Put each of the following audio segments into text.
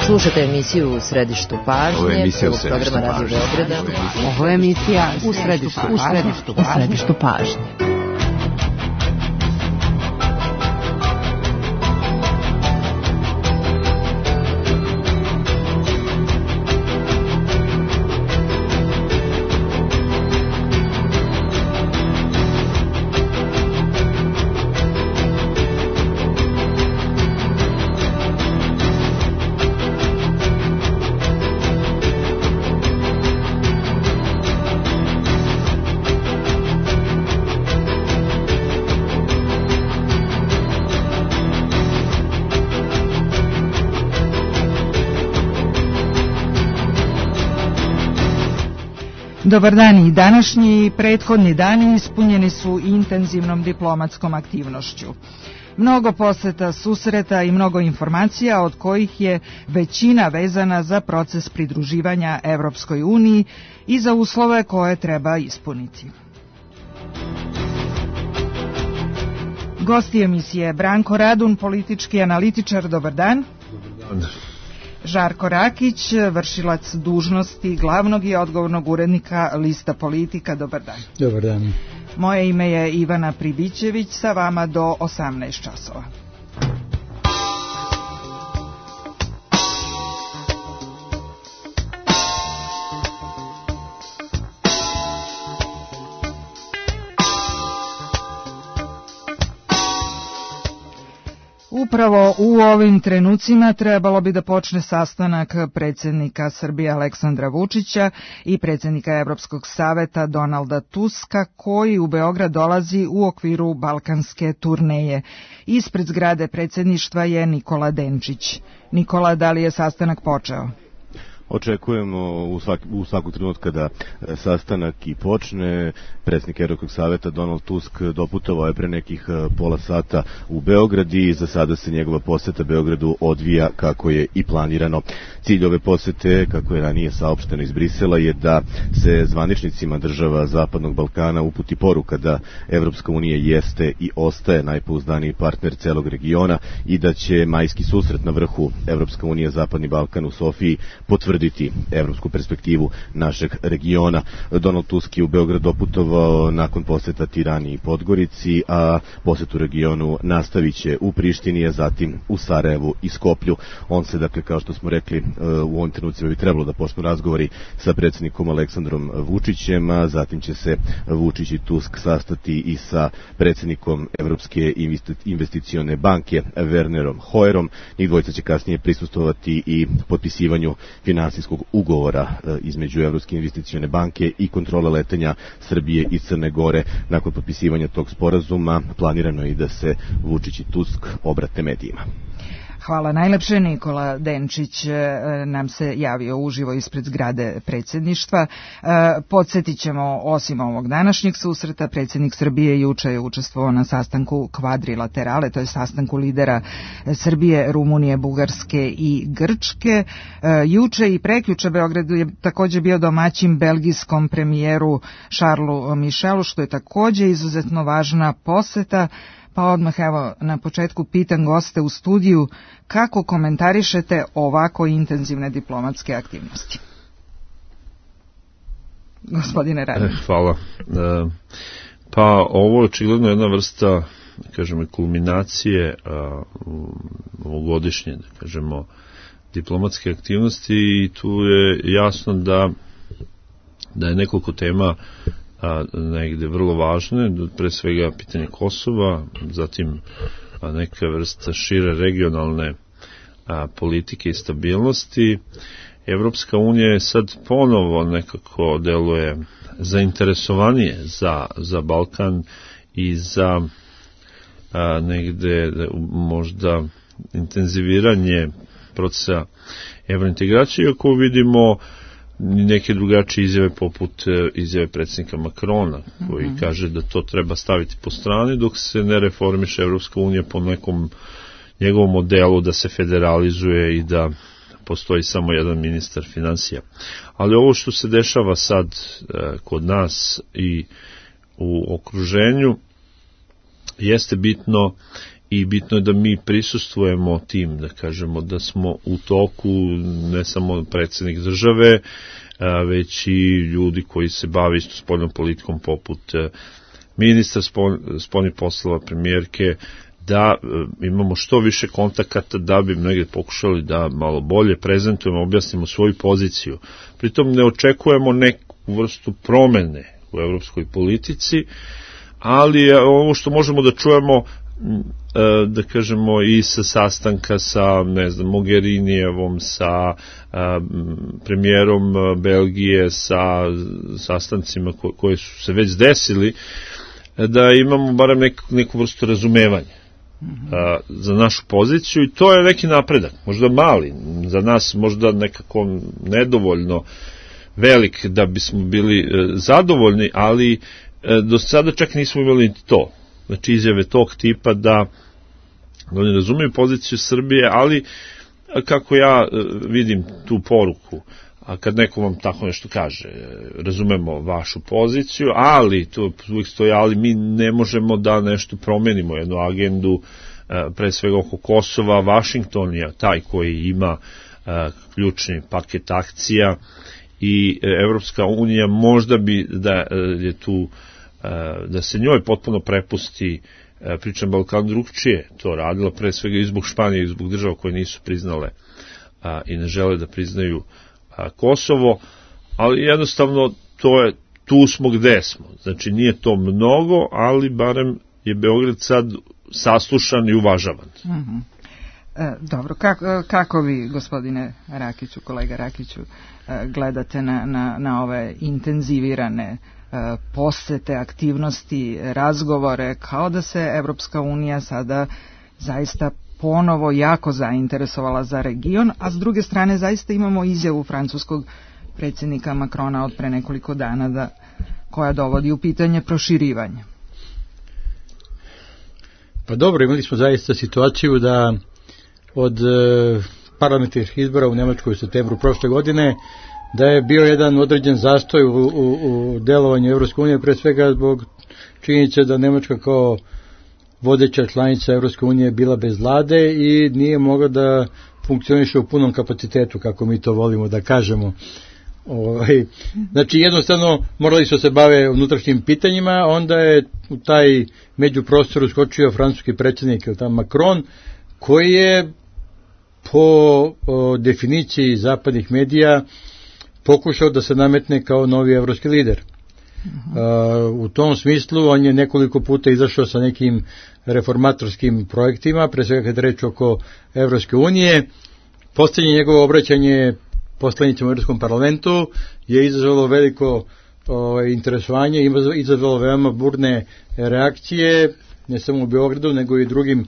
Slušate emisiju U središtu pažnje, prvog programa Radio Beograda. Ovo je emisija U središtu pažnje. Dobar dan, i današnji i prethodni dani ispunjeni su intenzivnom diplomatskom aktivnošću. Mnogo poseta, susreta i mnogo informacija, od kojih je većina vezana za proces pridruživanja Evropskoj uniji i za uslove koje treba ispuniti. Gosti emisije: Branko Radun, politički analitičar, dobar dan. Dobar dan. Žarko Rakić, vršilac dužnosti glavnog i odgovornog urednika Lista Politika, dobar dan. Dobar dan. Moje ime je Ivana Pribićević, sa vama do 18 časova. Upravo u ovim trenucima trebalo bi da počne sastanak predsjednika Srbije Aleksandra Vučića i predsjednika Evropskog saveta Donalda Tuska, koji u Beograd dolazi u okviru balkanske turneje. Ispred zgrade predsjedništva je Nikola Denčić. Nikola, da li je sastanak počeo? Očekujemo u svakog trenutka da sastanak i počne. Predsjednik Evropskog saveta Donald Tusk doputovao je pre nekih pola sata u Beograd i za sada se njegova poseta Beogradu odvija kako je i planirano. Cilj ove posete, kako je ranije saopšteno iz Brisela, je da se zvaničnicima država Zapadnog Balkana uputi poruka da Evropska unija jeste i ostaje najpouzdaniji partner celog regiona i da će majski susret na vrhu Evropska unija Zapadni Balkan u Sofiji potvrditi evropsku perspektivu našeg regiona. Donald Tusk je u Beograd doputovao nakon poseta Tirani i Podgorici, a posetu regionu nastavit će u Prištini, a zatim u Sarajevu i Skoplju. On se, dakle, kao što smo rekli, u ovim trenucima bi trebalo da počnu razgovori sa predsjednikom Aleksandrom Vučićem, a zatim će se Vučić i Tusk sastati i sa predsjednikom Evropske investicione banke Wernerom Hoyerom. Njih dvojica će kasnije prisustvovati i potpisivanju finansijskog ugovora između Evropske investicione banke i kontrole letenja Srbije i Crne Gore. Nakon potpisivanja tog sporazuma planirano je i da se Vučić i Tusk obrate medijima. Hvala najlepše. Nikola Denčić nam se javio uživo ispred zgrade predsjedništva. Podsjetit ćemo, osim ovog današnjeg susreta, predsjednik Srbije juče je učestvovao na sastanku kvadrilaterale, to je sastanku lidera Srbije, Rumunije, Bugarske i Grčke. Juče i prekjuče Beogradu je također bio domaćin belgijskom premijeru Charlesu Michelu, što je također izuzetno važna poseta. Pa odmah, evo, na početku pitam goste u studiju, kako komentarišete ovako intenzivne diplomatske aktivnosti? Gospodine Radin. Hvala. Pa ovo je očigledno jedna vrsta, kažemo, kulminacije ovogodišnje, da kažemo, diplomatske aktivnosti, i tu je jasno da je nekoliko tema negde vrlo važne, pre svega pitanje Kosova, zatim neka vrsta šire regionalne politike i stabilnosti. Evropska unija je sad ponovo nekako deluje zainteresovanije za Balkan i za negde možda intenziviranje procesa evrointegracije, iako vidimo neke drugačije izjave poput izjave predsjednika Makrona, koji kaže da to treba staviti po strani dok se ne reformiše Evropska unija po nekom njegovom modelu da se federalizuje i da postoji samo jedan ministar finansija. Ali ovo što se dešava sad kod nas i u okruženju jeste bitno i bitno je da mi prisustvujemo tim, da kažemo da smo u toku, ne samo predsjednik države, već i ljudi koji se bave isto spoljnom politikom poput ministra spoljnih poslova, premijerke, da imamo što više kontakata da bi negdje pokušali da malo bolje prezentujemo, objasnimo svoju poziciju. Pritom ne očekujemo neku vrstu promene u evropskoj politici, ali ovo što možemo da čujemo, da kažemo, i sa sastanka sa, ne znam, Mogherinijevom, sa premijerom Belgije, sa sastancima koji su se već desili, da imamo barem neku vrstu razumevanja za našu poziciju, i to je neki napredak, možda mali, za nas možda nekako nedovoljno velik da bismo bili zadovoljni, ali do sada čak nismo imali to. Znači izjave tog tipa da oni razumiju poziciju Srbije, ali kako ja vidim tu poruku, a kad neko vam tako nešto kaže, razumemo vašu poziciju, ali tu uvijek stoji, ali mi ne možemo da nešto promenimo, jednu agendu, pre svega oko Kosova. Vašington je taj koji ima ključni paket akcija i Evropska unija možda bi da je tu, da se njoj potpuno prepusti priča na Balkanu, drugčije to radila, pre svega i zbog Španije i zbog država koje nisu priznale i ne žele da priznaju Kosovo, ali jednostavno tu smo gde smo. Znači nije to mnogo, ali barem je Beograd sad saslušan i uvažavan. Dobro, kako vi, gospodine Rakiću, kolega Rakiću, gledate na ove intenzivirane posete, aktivnosti, razgovore, kao da se Evropska unija sada zaista ponovo jako zainteresovala za region, a s druge strane zaista imamo izjavu francuskog predsjednika Macrona od pre nekoliko dana koja dovodi u pitanje proširivanje? Pa dobro, imali smo zaista situaciju da od parlamentarnih izbora u Nemačkoj u septembru prošle godine da je bio jedan određen zastoj u delovanju Evropske unije, pre svega zbog činjenice da Nemačka kao vodeća članica Evropske unije bila bez vlade i nije mogla da funkcioniše u punom kapacitetu, kako mi to volimo da kažemo. Znači jednostavno morali su se bave unutrašnjim pitanjima, onda je u taj međuprostor uskočio francuski predsjednik Macron, koji je po definiciji zapadnih medija pokušao da se nametne kao novi evropski lider. U tom smislu on je nekoliko puta izašao sa nekim reformatorskim projektima, pre svega kad reč oko Evropske unije. Poslednje njegovo obraćanje poslanicima u Evropskom parlamentu je izazvalo veliko interesovanje, izazvalo veoma burne reakcije, ne samo u Beogradu, nego i drugim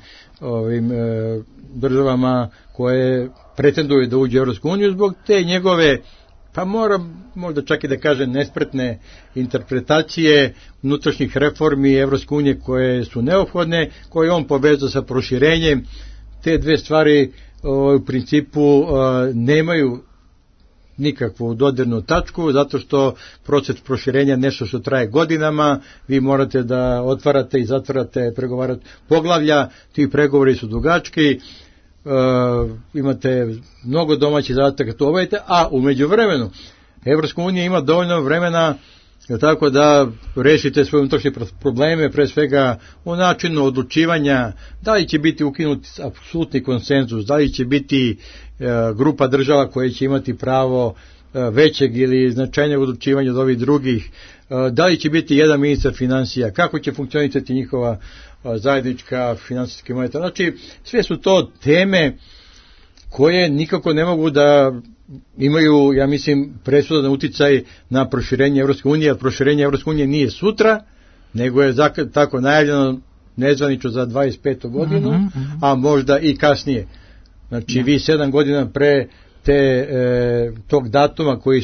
državama koje pretenduju da uđe u Evropsku uniju zbog te njegove, pa možda čak i da kažem, nespretne interpretacije unutrašnjih reformi Evropske unije koje su neophodne, koje on povezao sa proširenjem. Te dve stvari u principu nemaju nikakvu dodirnu tačku, zato što proces proširenja je nešto što traje godinama, vi morate da otvarate i zatvarate poglavlja, ti pregovori su dugački, imate mnogo domaćih zadataka to obavite, a u međuvremenu Evropska unija ima dovoljno vremena tako da rešite svoje unutrašnje probleme, pre svega u načinu odlučivanja, da li će biti ukinut apsolutni konsenzus, da li će biti grupa država koje će imati pravo većeg ili značajnijeg odlučivanja od ovih drugih, da li će biti jedan ministar finansija, kako će funkcionisati njihova zajednička finansijska moneta. Znači, sve su to teme koje nikako ne mogu da imaju, ja mislim, presudan uticaj na proširenje Evropske unije, jer proširenje Evropske unije nije sutra, nego je tako najavljeno nezvanično za 25. godinu, a možda i kasnije. Znači, vi 7 godina pre tog datuma koji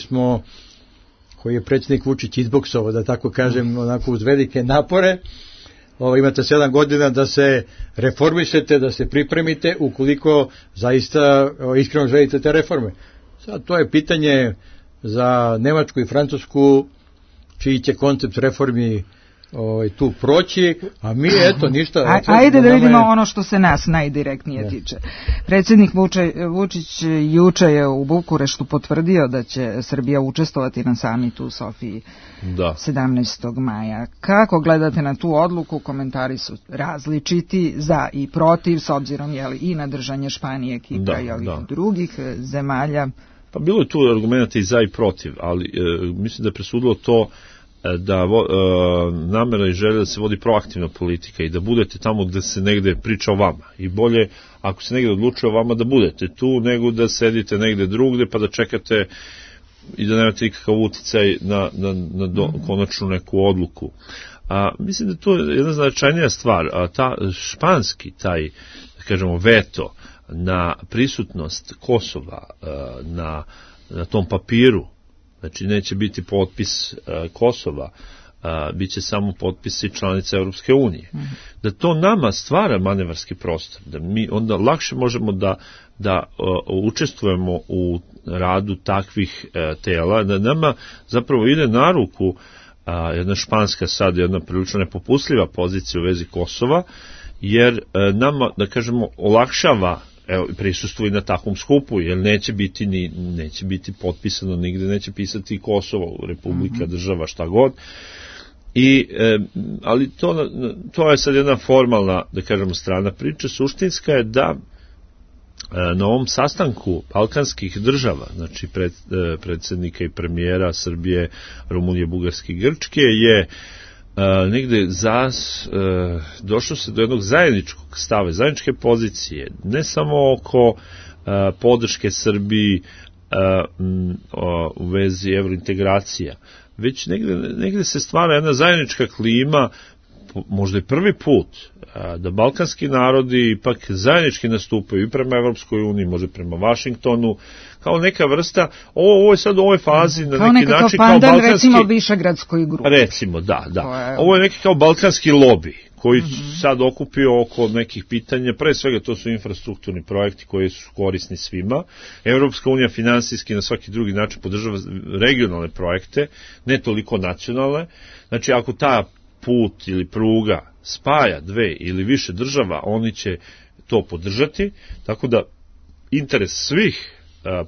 je predsjednik Vučić izboksovao, da tako kažem, onako uz velike napore, imate 7 godina da se reformišete, da se pripremite, ukoliko zaista iskreno želite te reforme. Sad, to je pitanje za Nemačku i Francusku, čiji će koncept reformi tu proći, a mi eto ništa. Ajde da vidimo ono što se nas najdirektnije tiče. Predsjednik Vučić juče je u Bukureštu potvrdio da će Srbija učestvovati na samitu u Sofiji 17. maja. Kako gledate na tu odluku? Komentari su različiti, za i protiv, s obzirom i na držanje Španije, Kipra i ovih drugih zemalja. Pa bilo je tu argumenta i za i protiv, ali mislim da je presudilo to da namera i želja da se vodi proaktivna politika i da budete tamo gde se negde priča o vama. I bolje, ako se negde odlučuje o vama, da budete tu, nego da sedite negde drugde pa da čekate i da nemate nikakav uticaj na konačnu neku odluku. Mislim da to je jedna značajnija stvar. Ta španski, taj, da kažemo, veto na prisutnost Kosova na tom papiru, znači neće biti potpis Kosova, bit će samo potpisi članica Europske unije. Da to nama stvara manevarski prostor, da mi onda lakše možemo da učestvujemo u radu takvih tela, da nama zapravo ide na ruku jedna španska sad, jedna prilično nepopustljiva pozicija u vezi Kosova, jer nama, da kažemo, olakšava prisustvo i na takvom skupu, jer neće biti potpisano nigde, neće pisati Kosovo, republika, država, šta god. Ali to je sad jedna formalna, da kažemo, strana priče. Suštinska je da na ovom sastanku balkanskih država, znači predsjednika i premijera Srbije, Rumunije, Bugarske i Grčke, je negde došlo se do jednog zajedničkog stava, zajedničke pozicije, ne samo oko podrške Srbiji u vezi evrointegracija, već negde se stvara jedna zajednička klima, možda i prvi put, da balkanski narodi ipak zajednički nastupaju i prema Evropskoj uniji, možda prema Vašingtonu, kao neka vrsta, ovo je sad u ovoj fazi na neki način kao balkanski... recimo Višegradskoj grupi. Recimo, da. Ovo je neki kao balkanski lobi, koji sad okupio oko nekih pitanja, pre svega to su infrastrukturni projekti koji su korisni svima. Evropska unija finansijski na svaki drugi način podržava regionalne projekte, ne toliko nacionalne. Znači, ako ta put ili pruga spaja dve ili više država, oni će to podržati, tako da interes svih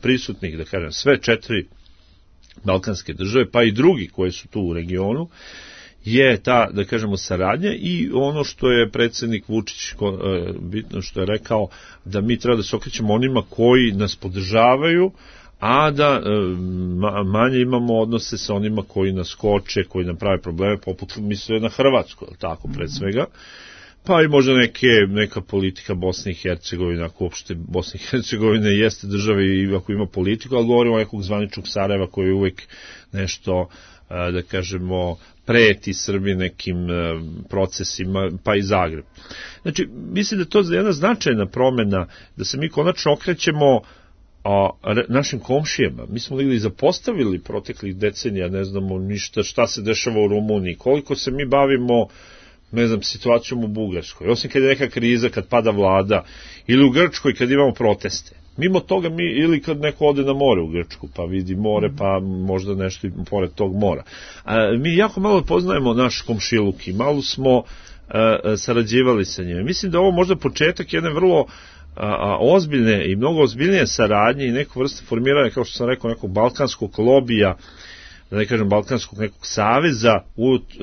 prisutnih, da kažem, sve 4 balkanske države, pa i drugi koji su tu u regionu, je ta, da kažemo, saradnja i ono što je predsjednik Vučić bitno što je rekao, da mi treba da se okrećemo onima koji nas podržavaju, a da manje imamo odnose sa onima koji nas koče, koji nam prave probleme, poput misle na Hrvatsku, tako, pred svega, pa i možda neka politika Bosne i Hercegovine, ako uopšte Bosne i Hercegovine jeste država i ako ima politiku, ali govorimo o nekog zvaničnog Sarajeva koji je uvek nešto, da kažemo, preti Srbiji nekim procesima, pa i Zagreb. Znači, mislim da to je jedna značajna promena, da se mi konačno okrećemo našim komšijama. Mi smo negdje i zapostavili proteklih decenija, ne znamo ništa šta se dešava u Rumuniji, koliko se mi bavimo, ne znam, situacijom u Bugarskoj, osim kad je neka kriza, kad pada vlada, ili u Grčkoj kad imamo proteste. Mimo toga ili kad neko ode na more u Grčku, pa vidi more, pa možda nešto i pored tog mora. Mi jako malo poznajemo naš komšiluk i malo smo sarađivali sa njima. Mislim da ovo možda početak jedne vrlo ozbiljne i mnogo ozbiljnije saradnje i neku vrstu formiranja, kao što sam rekao, nekog balkanskog lobija, da ne kažem balkanskog nekog saveza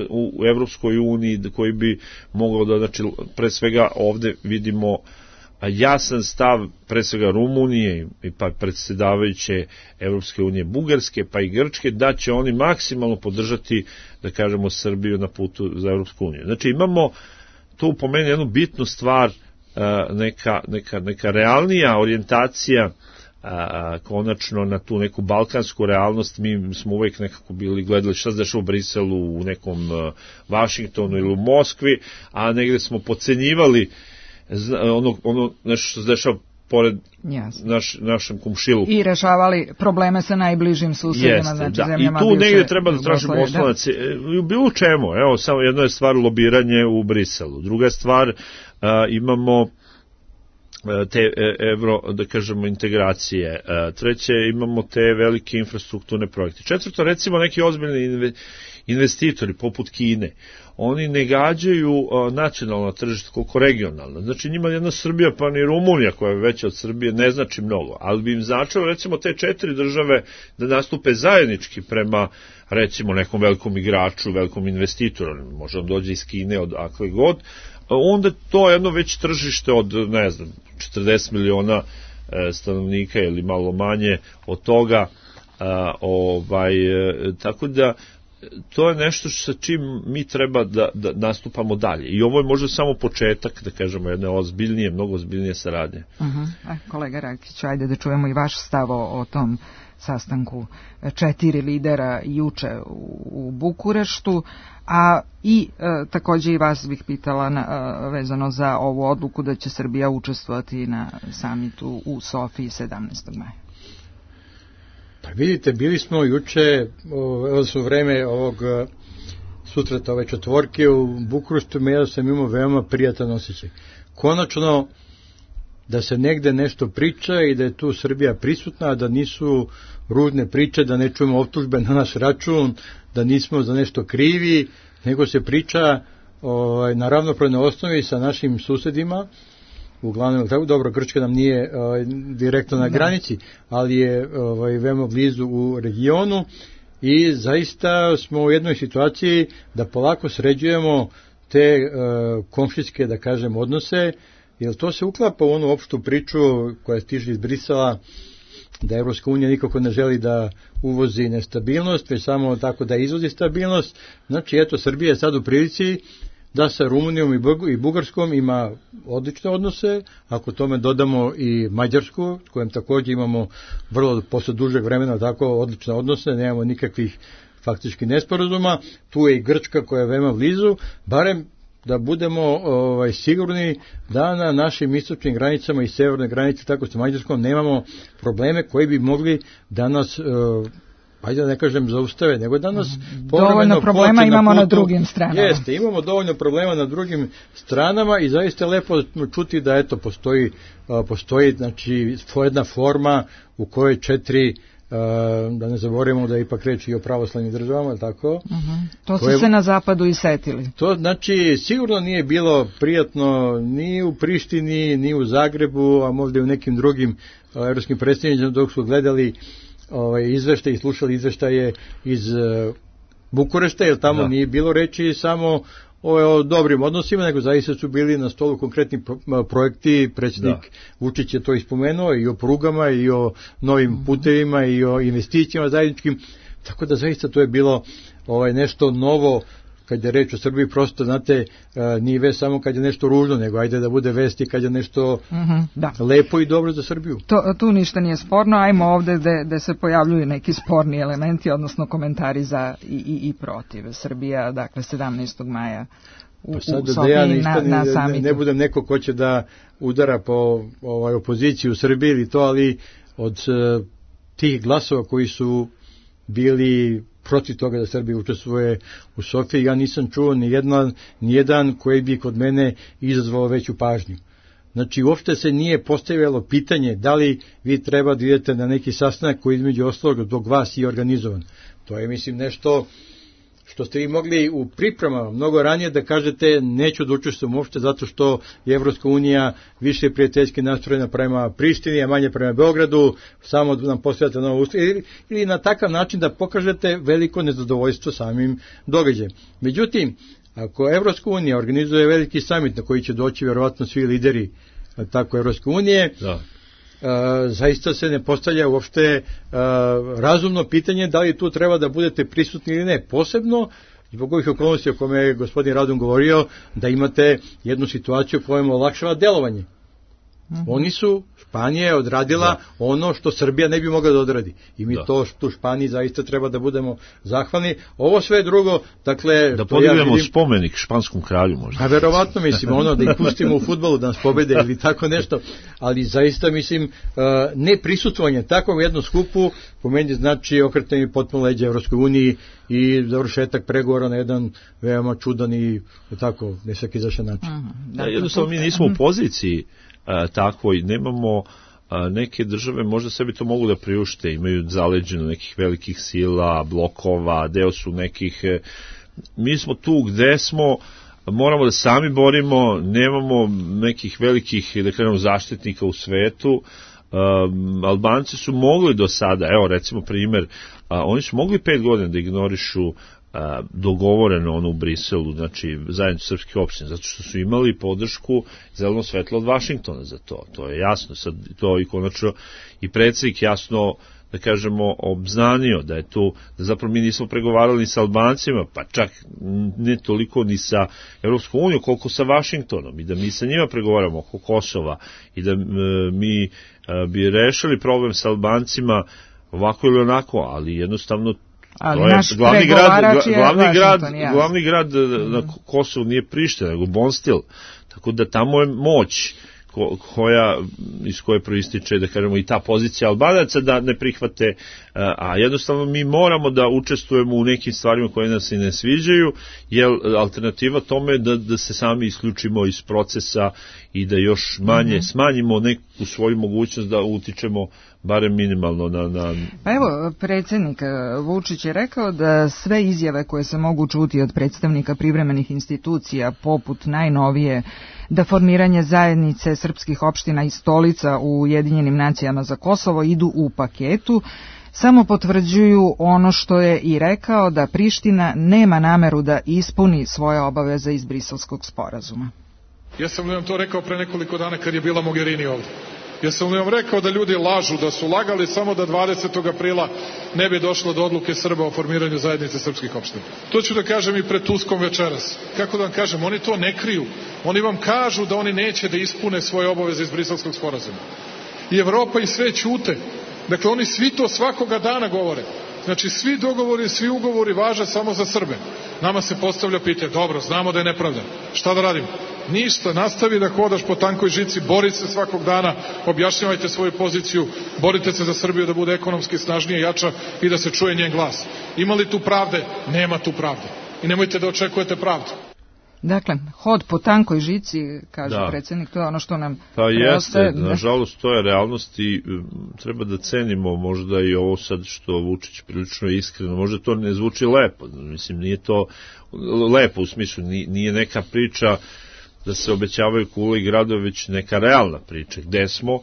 u Evropskoj uniji, koji bi mogao da, znači, pre svega ovde vidimo jasan stav pre svega Rumunije i pa predsjedavajuće Evropske unije Bugarske, pa i Grčke, da će oni maksimalno podržati, da kažemo, Srbiju na putu za Evropsku uniju. Znači, imamo tu po meni jednu bitnu stvar, neka realnija orijentacija konačno na tu neku balkansku realnost. Mi smo uvek nekako bili gledali šta se dešava u Briselu, u nekom Vašingtonu ili u Moskvi, a negde smo podcenjivali ono nešto što se dešava pored našem komšiluku. I rešavali probleme sa najbližim susedima, znači zemljama. I tu negde treba da tražimo oslonac. U bilo čemu, evo, samo jedna je stvar lobiranje u Briselu. Druga stvar, imamo te evro, da kažemo, integracije. Treće, imamo te velike infrastrukturne projekte. Četvrto, recimo neki ozbiljni investitori poput Kine, oni ne gađaju nacionalno tržište koliko regionalno. Znači njima jedna Srbija pa ni Rumunija koja je veća od Srbije ne znači mnogo, ali bi im značilo recimo te 4 države da nastupe zajednički prema recimo nekom velikom igraču, velikom investitoru, može on dođe iz Kine, od akve god, onda to je jedno već tržište od, ne znam, 40 miliona stanovnika ili malo manje od toga, tako da to je nešto sa čim mi treba da nastupamo dalje. I ovo je možda samo početak, da kažemo, jedne ozbiljnije, mnogo ozbiljnije saradnje. Kolega Rakić, ajde da čujemo i vaš stav o tom sastanku 4 lidera juče u Bukureštu, a i takođe i vas bih pitala vezano za ovu odluku da će Srbija učestvovati na samitu u Sofiji 17. maja. Pa vidite, bili smo juče, odnosno vreme ovog susreta ove četvorke u Bukureštu, ja sam imao veoma prijatan osjećaj. Konačno da se negde nešto priča i da je tu Srbija prisutna, da nisu ružne priče, da ne čujemo optužbe na naš račun, da nismo za nešto krivi, nego se priča na ravnopravnoj osnovi sa našim susedima. Uglavnom, dobro, Grčka nam nije direktno na granici, ali je veoma blizu u regionu i zaista smo u jednoj situaciji da polako sređujemo te komšijske, da kažem, odnose, jer to se uklapa u onu opštu priču koja stiže iz Brisela, da Evropska unija nikako ne želi da uvozi nestabilnost, već samo tako da izvozi stabilnost. Znači, eto, Srbija je sad u prilici da sa Rumunijom i Bugarskom ima odlične odnose, ako tome dodamo i Mađarsku, s kojom također imamo vrlo posle dužeg vremena tako odlične odnose, nemamo nikakvih faktički nesporazuma, tu je i Grčka koja je veoma blizu, barem da budemo sigurni da na našim istočnim granicama i severnoj granici, tako sa Mađarskom, nemamo probleme koji bi mogli da nas ajde da ne kažem zaustave, nego danas dovoljno problema imamo na drugim stranama. Jeste, imamo dovoljno problema na drugim stranama i zaista je lepo čuti da eto postoji znači jedna forma u kojoj 4 da ne zaboravimo da je ipak reč i o pravoslavnim državama, tako? To su se na zapadu i setili. To znači sigurno nije bilo prijatno ni u Prištini, ni u Zagrebu, a možda i u nekim drugim evropskim predstavnicima dok su gledali izveštaje i slušali izveštaje iz Bukurešta, jer tamo nije bilo reči samo o dobrim odnosima, nego zaista su bili na stolu konkretni projekti, predsjednik Vučić je to ispomenuo i o prugama i o novim putevima i o investicijama zajedničkim, tako da zaista to je bilo nešto novo. Kad je reč o Srbiji, prosto, znate, nije vest samo kad je nešto ružno, nego ajde da bude vesti kad je nešto lepo i dobro za Srbiju. Tu ništa nije sporno, ajmo ovde da se pojavljuju neki sporni elementi, odnosno komentari za i protiv. Srbija, dakle, 17. maja u Sofiji na samitu. Ne budem neko ko će da udara po opoziciju u Srbiji ili to, ali od tih glasova koji su bili protiv toga da Srbija učestvuje u Sofiji, ja nisam čuo ni jedan koji bi kod mene izazvao veću pažnju. Znači, uopšte se nije postavljalo pitanje da li vi treba da idete na neki sastanak koji između ostalog zbog vas i organizovan. To je, mislim, nešto što ste vi mogli u pripremama mnogo ranije da kažete neću da učestvujem uopšte zato što je Evropska unija više prijateljski nastrojena prema Prištini, a manje prema Beogradu, samo da nam postavljate novo usta, ili na takav način da pokažete veliko nezadovoljstvo samim događajem. Međutim, ako Evropska unija organizuje veliki samit na koji će doći vjerovatno svi lideri tako Evropske unije, zaista se ne postavlja uopšte razumno pitanje da li tu treba da budete prisutni ili ne. Posebno zbog ovih okolnosti o kome je gospodin Radun govorio, da imate jednu situaciju koja im olakšava delovanje. Oni su, Španija je odradila ono što Srbija ne bi mogla da odradi. I mi to u Španiji zaista treba da budemo zahvalni. Ovo sve drugo, dakle... Da podignemo spomenik španskom kralju možda. A verovatno, mislim, da ih pustimo u fudbalu da nas pobede ili tako nešto. Ali zaista, mislim, ne prisutvovanje takvom jednom skupu po meni znači okretanje potpuno leđa Evropskoj uniji i završetak pregovora na jedan veoma čudan i tako nesaki zašan način. Jednostavno mi nismo u poziciji takvoj. Nemamo neke države možda sebi to mogu da priušte, imaju zaleđeno nekih velikih sila, blokova, deo su nekih, mi smo tu gde smo, moramo da sami borimo, nemamo nekih velikih, da kažemo, zaštitnika u svetu. Albanci su mogli do sada, evo recimo primer, oni su mogli 5 godina da ignorišu dogovoreno ono u Briselu, znači zajednicu srpskih opština, zato što su imali podršku zeleno svetlo od Vašingtona za to. To je jasno, sad to i konačno i predsjednik jasno, da kažemo, obznanio da je tu, da zapravo mi nismo pregovarali ni sa Albancima, pa čak ne toliko ni sa Evropskom unijom, koliko sa Vašingtonom, i da mi sa njima pregovaramo oko Kosova i da mi bi rešili problem sa Albancima ovako ili onako, ali jednostavno ali to je glavni grad na Kosovu nije Priština, nego Bonstil, tako da tamo je moć iz koje proističe, da kažemo, i ta pozicija Albanaca da ne prihvate, a jednostavno mi moramo da učestvujemo u nekim stvarima koje nas i ne sviđaju, jer alternativa tome je da se sami isključimo iz procesa i da još manje smanjimo neku svoju mogućnost da utičemo barem minimalno na... Pa evo, predsjednik Vučić je rekao da sve izjave koje se mogu čuti od predstavnika privremenih institucija, poput najnovije da formiranje zajednice srpskih opština i stolica u Ujedinjenim nacijama za Kosovo idu u paketu, samo potvrđuju ono što je i rekao, da Priština nema nameru da ispuni svoje obaveze iz Briselskog sporazuma. Ja sam vam to rekao pre nekoliko dana kad je bila Mogherini ovde. Ja sam vam rekao da ljudi lažu, da su lagali samo da 20. aprila ne bi došlo do odluke Srba o formiranju zajednice srpskih opština. To ću da kažem i pred Tuskom večeras. Kako da vam kažem, oni to ne kriju. Oni vam kažu da oni neće da ispune svoje obaveze iz Briselskog sporazuma. I Evropa i sve ćute. Dakle, oni svi to svakoga dana govore. Znači, svi dogovori, svi ugovori važe samo za Srbe. Nama se postavlja pitanje, dobro, znamo da je nepravda. Šta da radimo? Ništa, nastavi da hodaš po tankoj žici, bori se svakog dana, objašnjavajte svoju poziciju, borite se za Srbiju da bude ekonomski snažnije, jača i da se čuje njen glas. Ima li tu pravde? Nema tu pravde. I nemojte da očekujete pravdu. Dakle, hod po tankoj žici, kaže predsjednik, to je ono što nam jeste, nažalost to je realnost i treba da cenimo možda i ovo sad što Vučić prilično iskreno, možda to ne zvuči lepo, mislim nije to lepo u smislu, nije neka priča da se obećavaju kule i gradovi, već neka realna priča, gde smo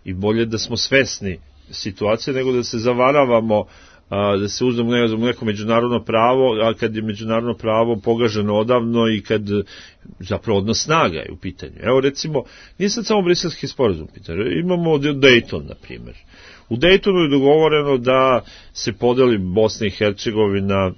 i bolje da smo svesni situacije nego da se zavaravamo, da se uzmemo neko međunarodno pravo, a kad je međunarodno pravo pogaženo odavno i kad zapravo odnos snaga je u pitanju. Evo recimo, nije sad samo Briselski sporazum pitanje, imamo Dayton, na primjer. U Daytonu je dogovoreno da se podeli Bosna i Hercegovina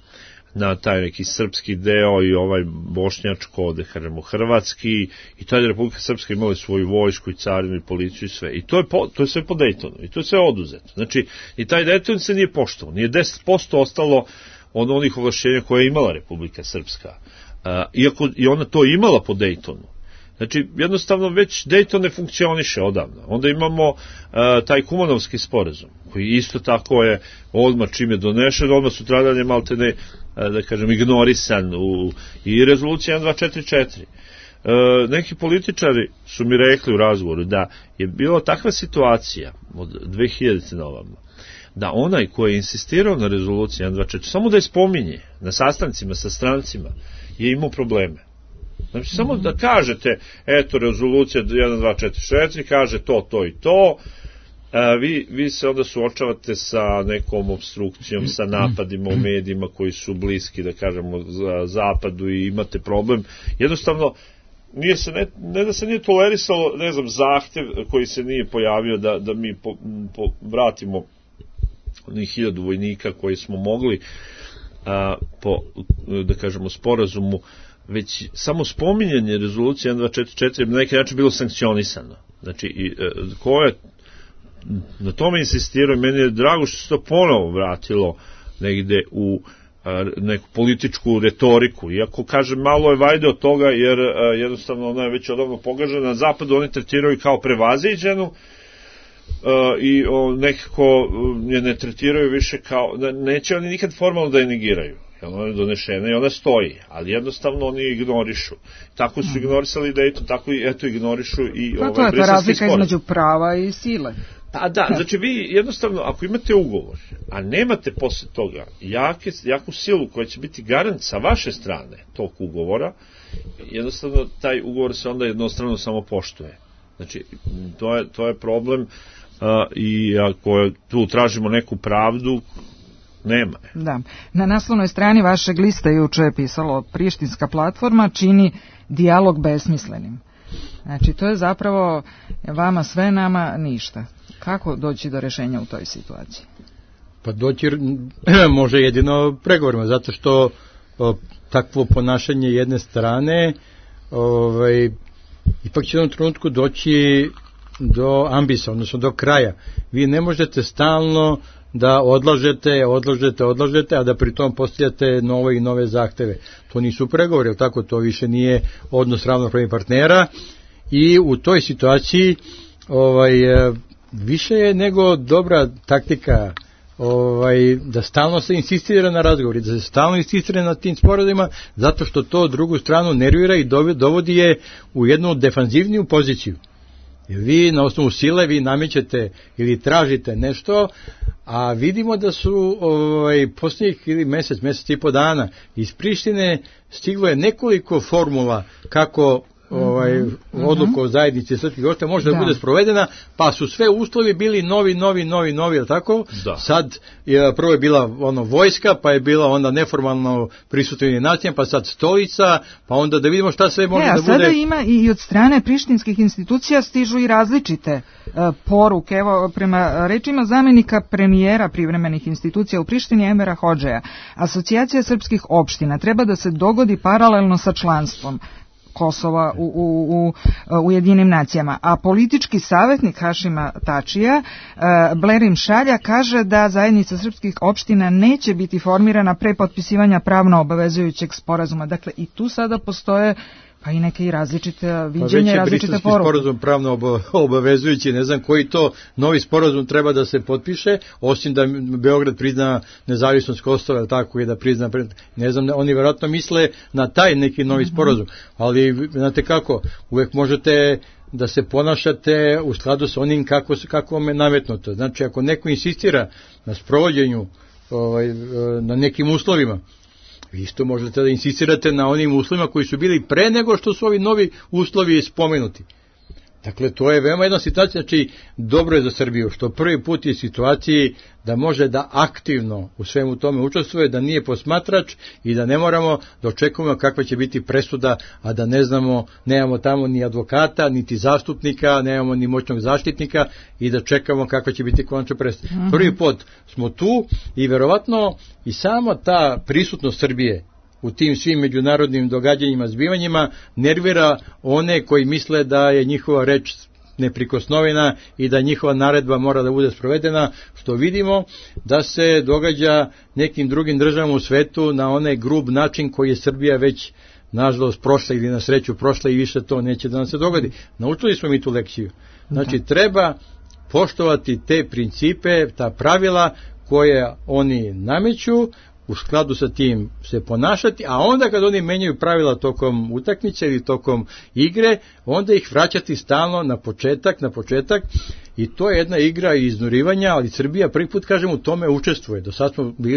na taj neki srpski deo i ovaj bošnjačko, da kažemo, hrvatski, i tada je Republika Srpska imala svoju vojsku i carinu i policiju i sve. I to je sve po Daytonu i to je sve oduzeto. Znači, i taj Dayton se nije poštovao, nije 10% ostalo od onih ovlašćenja koje je imala Republika Srpska. Iako je ona to imala po Daytonu. Znači, jednostavno već Dayton ne funkcioniše odavno. Onda imamo taj Kumanovski sporazum, koji isto tako je odmah čim je donešen, odmah sutradan je maltene, da kažem, ignorisan i rezolucija 1244. Neki političari su mi rekli u razgovoru da je bila takva situacija od 2000. na ovamo, da onaj koji je insistirao na rezoluciji 1244, samo da je spominje na sastancima sa strancima, je imao probleme. Znači, samo da kažete, eto, rezolucija 1244 kaže to i to, vi se onda suočavate sa nekom obstrukcijom, sa napadima u medijima koji su bliski, da kažemo, za zapadu i imate problem. Jednostavno, ne da se nije tolerisalo, ne znam, zahtev koji se nije pojavio da mi vratimo onih 1000 vojnika koji smo mogli po, da kažemo, sporazumu, već samo spominjanje rezolucije 1244 je na neki način bilo sankcionisano. Znači, ko je na tome insistirao, meni je drago što se to ponovo vratilo negde u neku političku retoriku, iako, kažem, malo je vajde od toga, jer jednostavno ona je već odavno pogažena. Na zapadu oni tretiraju kao prevaziđenu i nekako je ne tretiraju više kao, neće oni nikad formalno da je negiraju. Dakle, ona je donešena i ona stoji, ali jednostavno oni ignorišu. Tako su ignorisali Dayton, tako i eto ignorišu i Briselski sporazum. To je ta razlika između prava i sile. Pa da, znači vi jednostavno, ako imate ugovor, a nemate posle toga jaku silu koja će biti garant sa vaše strane tog ugovora, jednostavno taj ugovor se onda jednostavno samo poštuje. Znači, to je problem i ako tu tražimo neku pravdu, nema je. Da. Na naslovnoj strani vašeg lista juče je pisalo Prištinska platforma čini dijalog besmislenim. Znači, to je zapravo vama sve, nama ništa. Kako doći do rešenja u toj situaciji? Pa doći može jedino pregovorima, zato što takvo ponašanje jedne strane ipak će u jednom trenutku doći do ambisa, odnosno do kraja. Vi ne možete stalno da odlažete, a da pritom postavljate nove i nove zahteve. To nisu pregovori, ali tako, to više nije odnos ravnopravnih partnera i u toj situaciji više je nego dobra taktika da stalno se insistira na razgovori, da se stalno insistira na tim sporazumima, zato što to drugu stranu nervira i dovodi je u jednu defanzivniju poziciju. Jer vi na osnovu sile vi namećete ili tražite nešto, a vidimo da su posljednjih ili mesec i po dana iz Prištine stiglo je nekoliko formula kako odluka o zajednici srpskih opština može da bude sprovedena, pa su sve uslovi bili novi, ali tako? Da. Sad prvo je bila vojska, pa je bila onda neformalno prisutna nacija, pa sad stolica, pa onda da vidimo šta sve može da bude. Sada ima i od strane prištinskih institucija stižu i različite poruke. Evo, prema rečima zamenika premijera privremenih institucija u Prištini Emera Hodžeja, Asocijacija srpskih opština treba da se dogodi paralelno sa članstvom Kosova u Ujedinjenim nacijama. A politički savjetnik Hašima Tačija, Blerim Šalja, kaže da zajednica srpskih opština neće biti formirana pre potpisivanja pravno obavezujućeg sporazuma. Dakle, i tu sada postoje pa i neke različite viđenja, različite poruke. Sporazum pravno obavezujući, ne znam koji to novi sporazum treba da se potpiše, osim da Beograd prizna nezavisnost Kosova, tako i da prizna, ne znam, oni vjerojatno misle na taj neki novi sporazum, ali znate kako, uvek možete da se ponašate u skladu sa onim kako vam je nametnuto. Znači, ako neko insistira na sprovođenju na nekim uslovima, vi isto možete da insistirate na onim uslovima koji su bili pre nego što su ovi novi uslovi spomenuti. Dakle, to je veoma jedna situacija, znači dobro je za Srbiju, što prvi put je situaciji da može da aktivno u svemu tome učestvuje, da nije posmatrač i da ne moramo da očekujemo kakva će biti presuda, a da ne znamo, nemamo tamo ni advokata, niti zastupnika, nemamo ni moćnog zaštitnika i da čekamo kakva će biti konačna presuda. Prvi put smo tu i verovatno i sama ta prisutnost Srbije u tim svim međunarodnim događanjima, zbivanjima, nervira one koji misle da je njihova reč neprikosnovena i da njihova naredba mora da bude sprovedena, što vidimo da se događa nekim drugim državama u svetu na onaj grub način koji je Srbija već nažalost prošla ili na sreću prošla i više to neće da nam se dogodi. Naučili smo mi tu lekciju. Znači, treba poštovati te principe, ta pravila koje oni nameću, u skladu sa tim se ponašati, a onda kad oni menjaju pravila tokom utakmice ili tokom igre, onda ih vraćati stalno na početak i to je jedna igra iznurivanja, ali Srbija prvi put, kažem, u tome učestvuje.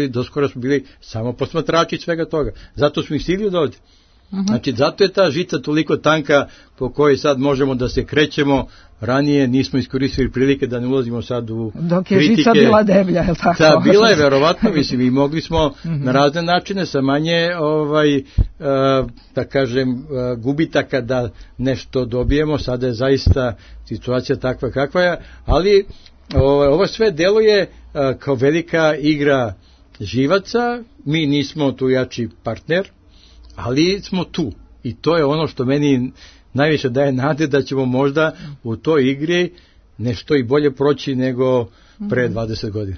Doskora smo bili samo posmatrači svega toga. Zato smo ih stigli do ovdje. Znači, zato je ta žica toliko tanka po kojoj sad možemo da se krećemo. Ranije nismo iskoristili prilike da ne ulazimo sad u kritike. Dok je žica bila deblja, je li tako? Da, bila je verovatno, mislim, i mogli smo na razne načine sa manje, da kažem, gubitaka da nešto dobijemo. Sada je zaista situacija takva kakva je, ali ovo sve deluje kao velika igra živaca. Mi nismo tu jači partner, ali smo tu. I to je ono što meni najviše daje nade da ćemo možda u toj igri nešto i bolje proći nego pre 20 godina.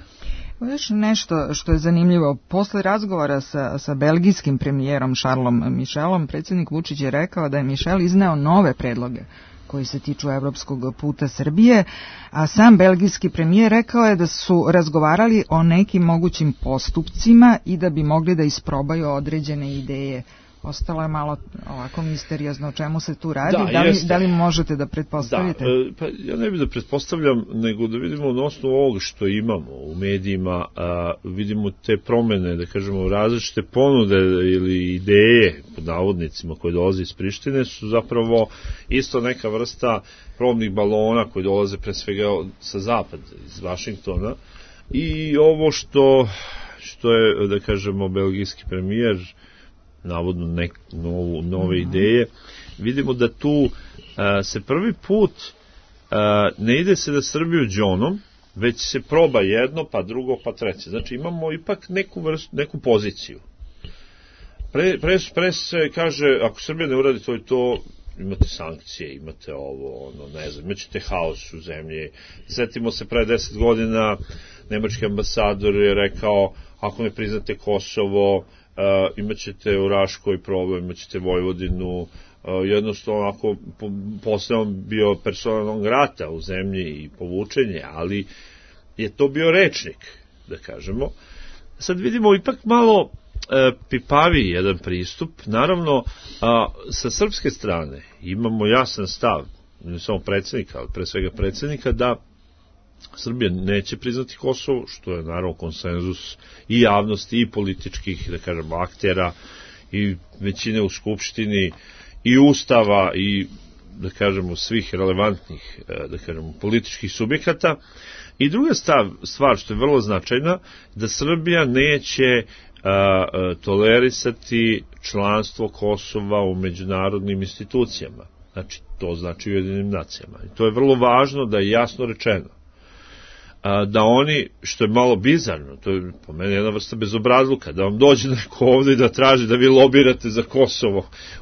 Još nešto što je zanimljivo, posle razgovora sa belgijskim premijerom Charlesom Michelom, predsjednik Vučić je rekao da je Michel izneo nove predloge koji se tiču evropskog puta Srbije, a sam belgijski premijer rekao je da su razgovarali o nekim mogućim postupcima i da bi mogli da isprobaju određene ideje. Ostalo je malo ovako misteriozno o čemu se tu radi. Da li možete da pretpostavite? Da, pa ja ne bih da pretpostavljam, nego da vidimo na osnovu ovoga što imamo u medijima, vidimo te promene, da kažemo, različite ponude ili ideje, pod navodnicima, koje dolaze iz Prištine, su zapravo isto neka vrsta probnih balona koji dolaze pre svega sa zapada, iz Vašingtona. I ovo što je, da kažemo, belgijski premijer navodno nove ideje, vidimo da tu se prvi put ne ide se da Srbiju džonom, već se proba jedno, pa drugo, pa treće. Znači imamo ipak neku poziciju. Pre se kaže, ako Srbija ne uradi to i to, imate sankcije, imate ovo, ne znam, imaćete haos u zemlji. Sjetimo se, pre 10 godina nemački ambasador je rekao, ako ne priznate Kosovo, imaćete u Raškoj problem, imaćete Vojvodinu, jednostavno ako posle on bio persona non grata u zemlji i povučenje, ali je to bio rečnik, da kažemo. Sad vidimo ipak malo pipavi jedan pristup. Naravno, sa srpske strane imamo jasan stav, ne samo predsjednika, ali pre svega predsjednika, da Srbija neće priznati Kosovo, što je naravno konsenzus i javnosti i političkih, da kažemo, aktera i većine u Skupštini i Ustava i, da kažemo, svih relevantnih, da kažemo, političkih subjekata. I druga stvar što je vrlo značajna, da Srbija neće tolerisati članstvo Kosova u međunarodnim institucijama. Znači, to znači u Ujedinjenim nacijama. I to je vrlo važno da je jasno rečeno. Da oni, što je malo bizarno, to je po meni jedna vrsta bezobrazluka, da vam dođe neko ovdje i da traži da vi lobirate za Kosovo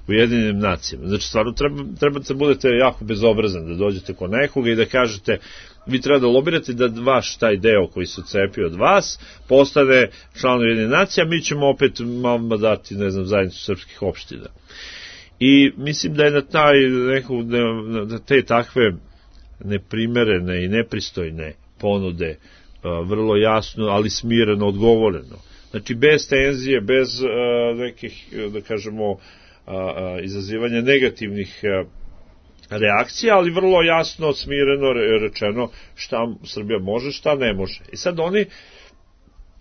u Ujedinjenim nacijama. Znači, stvarno treba da budete jako bezobrazan, da dođete kod nekoga i da kažete, vi treba da lobirate da vaš taj deo koji se odcepio od vas postane član Ujedinjenih nacija, mi ćemo opet malo dati, ne znam, zajednicu srpskih opština. I mislim da je na te takve neprimerene i nepristojne ponude vrlo jasno, ali smireno odgovoreno. Znači, bez tenzije, bez nekih, da kažemo, izazivanja negativnih reakcija, ali vrlo jasno, smireno rečeno šta Srbija može, šta ne može. I sad oni,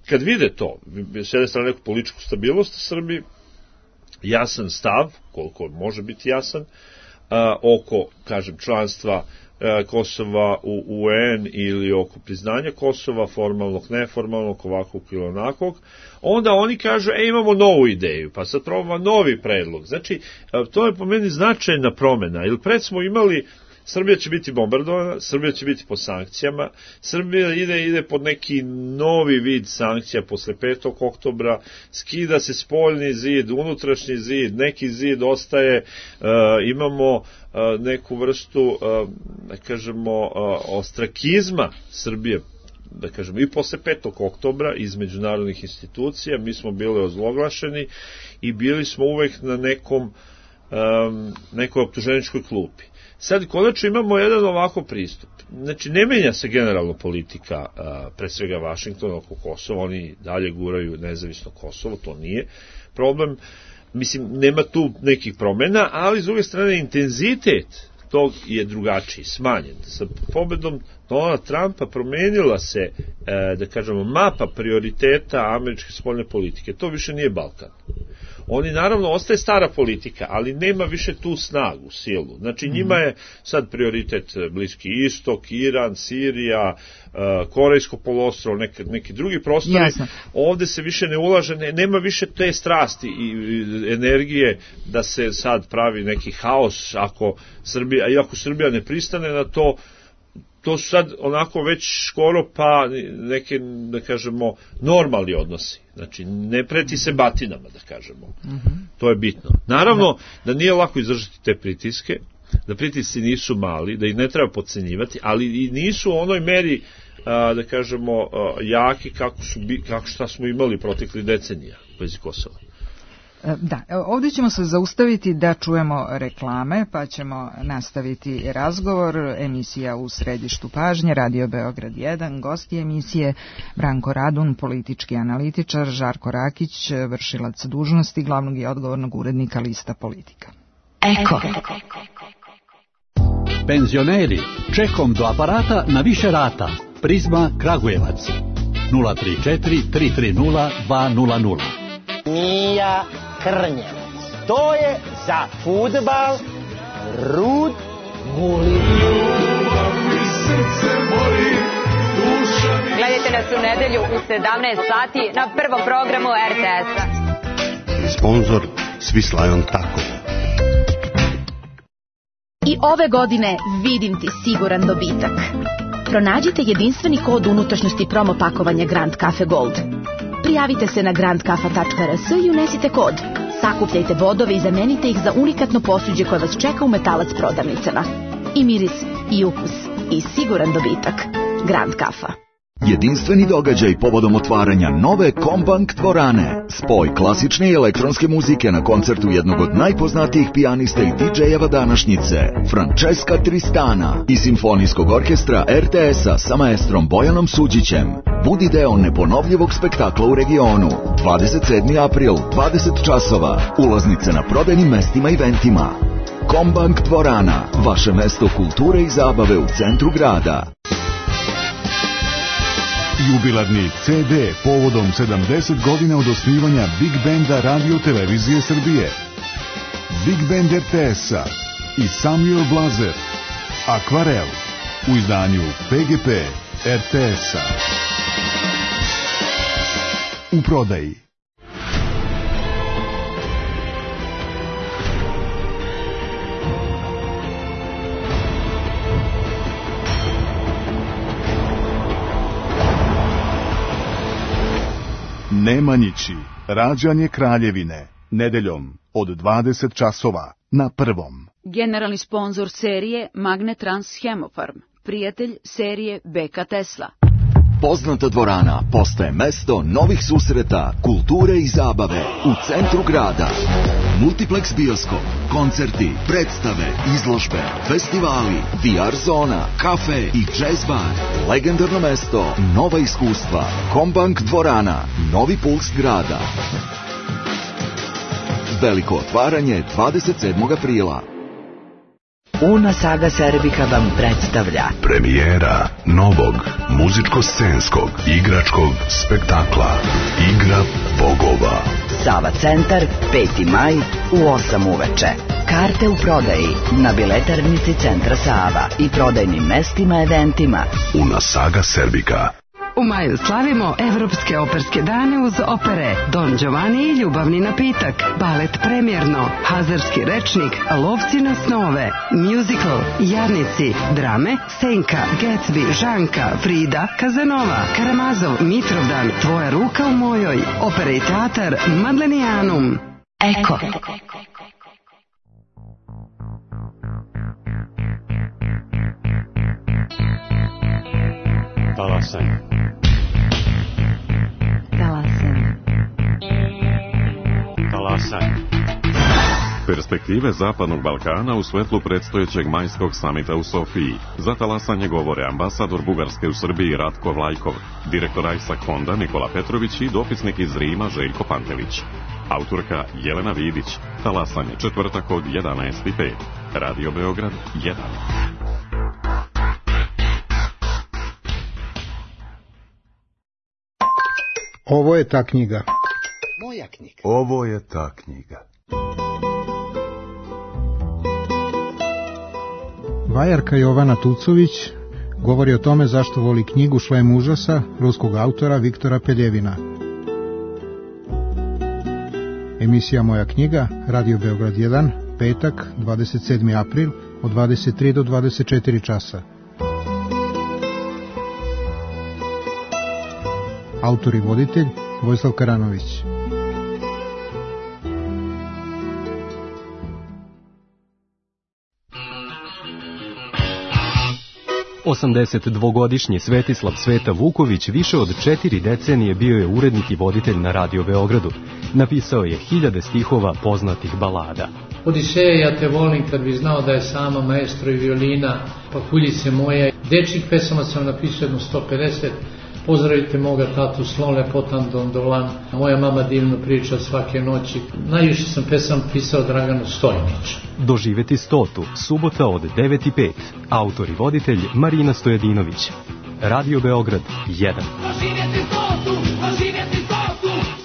kad vide to, s jedne strane neku političku stabilnost u Srbiji, jasan stav, koliko može biti jasan, oko, kažem, članstva Kosova u UN ili oko priznanja Kosova, formalnog, neformalnog, ovakvog ili onakvog, onda oni kažu, imamo novu ideju, pa sad probamo novi predlog. Znači, to je po meni značajna promena, jer pred smo imali, Srbija će biti bombardovana, Srbija će biti pod sankcijama, Srbija ide pod neki novi vid sankcija posle 5. oktobra, skida se spoljni zid, unutrašnji zid, neki zid ostaje, imamo neku vrstu, da kažemo, ostrakizma Srbije, da kažemo, i posle 5. oktobra iz međunarodnih institucija, mi smo bili ozloglašeni i bili smo uvek na nekoj optuženičkoj klupi. Sad konačno imamo jedan ovako pristup. Znači, ne menja se generalno politika, pre svega Vašingtona oko Kosova, oni dalje guraju nezavisno Kosovo, to nije problem. Mislim, nema tu nekih promena, ali s druge strane intenzitet tog je drugačiji, smanjen. Sa pobedom Donalda Trumpa promenila se, da kažemo, mapa prioriteta američke spoljne politike. To više nije Balkan. Oni, naravno, ostaje stara politika, ali nema više tu snagu, silu. Znači, njima je sad prioritet Bliski istok, Iran, Sirija, Korejsko poluostrvo, neki drugi prostori. Jasno. Ovde se više ne ulaže, nema više te strasti i energije da se sad pravi neki haos ako Srbija ne pristane na to. To su sad onako već skoro pa neke, da kažemo, normalni odnosi. Znači, ne preti se batinama, da kažemo. To je bitno. Naravno, da nije lako izdržati te pritiske, da pritisci nisu mali, da ih ne treba podcenjivati, ali i nisu u onoj meri, da kažemo, jaki kako šta smo imali protekli decenija u vezi Kosova. Da, ovdje ćemo se zaustaviti da čujemo reklame, pa ćemo nastaviti razgovor. Emisija U središtu pažnje, Radio Beograd 1, gosti emisije Branko Radun, politički analitičar, Žarko Rakić, vršilac dužnosti glavnog i odgovornog urednika Lista Politika. Eko. Penzioneri, čekom do aparata na više rata. Prizma Kragujevac 034 330 200. Mija Krnjevac. To je za fudbal Rud Guli. Gledajte nas u nedelju u 17 sati na prvom programu RTS-a. Sponzor Swiss Tako. I ove godine vidim ti siguran dobitak. Pronađite jedinstveni kod unutrašnjosti promo pakovanja Grand Cafe Gold. Prijavite se na grandkafa.rs i unesite kod. Sakupljajte bodove i zamenite ih za unikatno posuđe koje vas čeka u Metalac prodavnicama. I miris, i ukus, i siguran dobitak. Grand Kafa. Jedinstveni događaj povodom otvaranja nove Kombank dvorane. Spoj klasične i elektronske muzike na koncertu jednog od najpoznatijih pijanista i DJ-eva današnjice, Francesca Tristana, i simfonijskog orkestra RTS-a sa maestrom Bojanom Suđićem. Budi deo neponovljivog spektakla u regionu. 27. april, 20 časova. Ulaznice na prodajnim mestima i eventima. Kombank dvorana, vaše mesto kulture i zabave u centru grada. Jubilarni CD povodom 70 godina od osnivanja Big Banda Radio Televizije Srbije. Big Band RTS-a i Samuel Blazer. Akvarel u izdanju PGP RTS-a. U prodaji. Nemanjići, rađanje Kraljevine, nedeljom od 20 časova na Prvom. Generalni sponzor serije Magnetrans Hemofarm, prijatelj serije BK Tesla. Poznata dvorana postaje mesto novih susreta, kulture i zabave u centru grada. Multiplex bioskop, koncerti, predstave, izložbe, festivali, VR zona, kafe i jazz bar. Legendarno mesto, nova iskustva. Kombank dvorana, novi puls grada. Veliko otvaranje 27. aprila. Una Saga Serbika vam predstavlja premijera novog muzičko-scenskog igračkog spektakla Igra bogova. Sava centar, 5. maj u 8 uveče. Karte u prodaji na biletarnici Centra Sava i prodajnim mestima eventima. Una Saga Serbika. U maju slavimo Evropske operske dane uz opere Don Giovanni i Ljubavni napitak, balet Premjerno, Hazarski rečnik, Lovci na snove, musical, Jarnici, drame, Senka, Gatsby, Žanka, Frida, Kazanova, Karamazov, Mitrovdan, Tvoja ruka u mojoj, opera i teatar Madlenijanum. Eko. Talasanje. Perspektive Zapadnog Balkana u svetlu predstojećeg majskog samita u Sofiji. Za talasanje govore ambasador Bugarske u Srbiji Ratko Vlajkov, direktor ISAK fonda Nikola Petrović i dopisnik iz Rima Željko Pantelić. Autorka Jelena Vidić. Talasanje, četvrtak od 11:05. Radio Beograd 1. Ovo je ta knjiga. Moja knjiga. Ovo je ta knjiga. Vajarka Jovana Tucović govori o tome zašto voli knjigu Šlem užasa ruskog autora Viktora Peljevina. Emisija Moja knjiga, Radio Beograd 1, petak, 27. april, od 23 do 24 časa. Autor i voditelj Vojislav Karanović. 82-godišnji Svetislav Sveta Vuković više od 4 decenije bio je urednik i voditelj na Radio Beogradu. Napisao je hiljade stihova poznatih balada. Odiseja, ja te volim, kad bi znao da je sama maestro i violina, pa kuljice moje. Dečjih pesama sam napisao jedno 150. Pozdravite moga tatu, slon lepotan dondolan, moja mama divno priča svake noći. Najviše sam pesama pisao Draganu Stojniću. Doživeti 100. subota od 9:05. Autor i voditelj Marina Stojadinović. Radio Beograd 1. Doživjeti 100, doživjeti 100.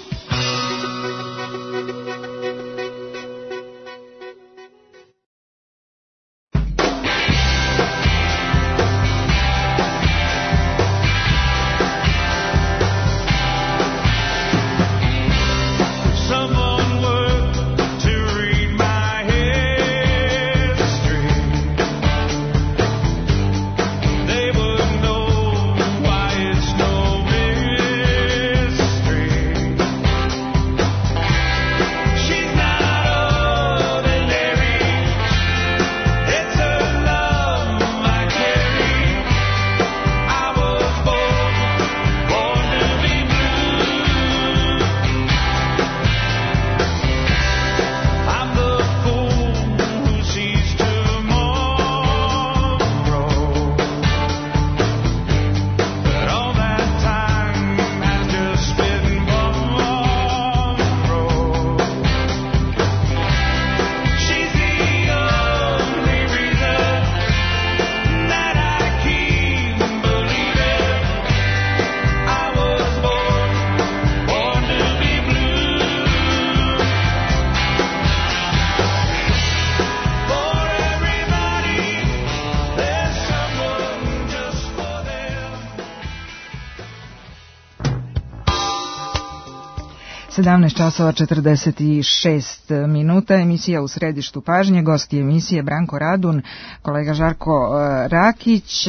časova 46 minuta, emisija U središtu pažnje, gosti emisije Branko Radun, kolega Žarko Rakić.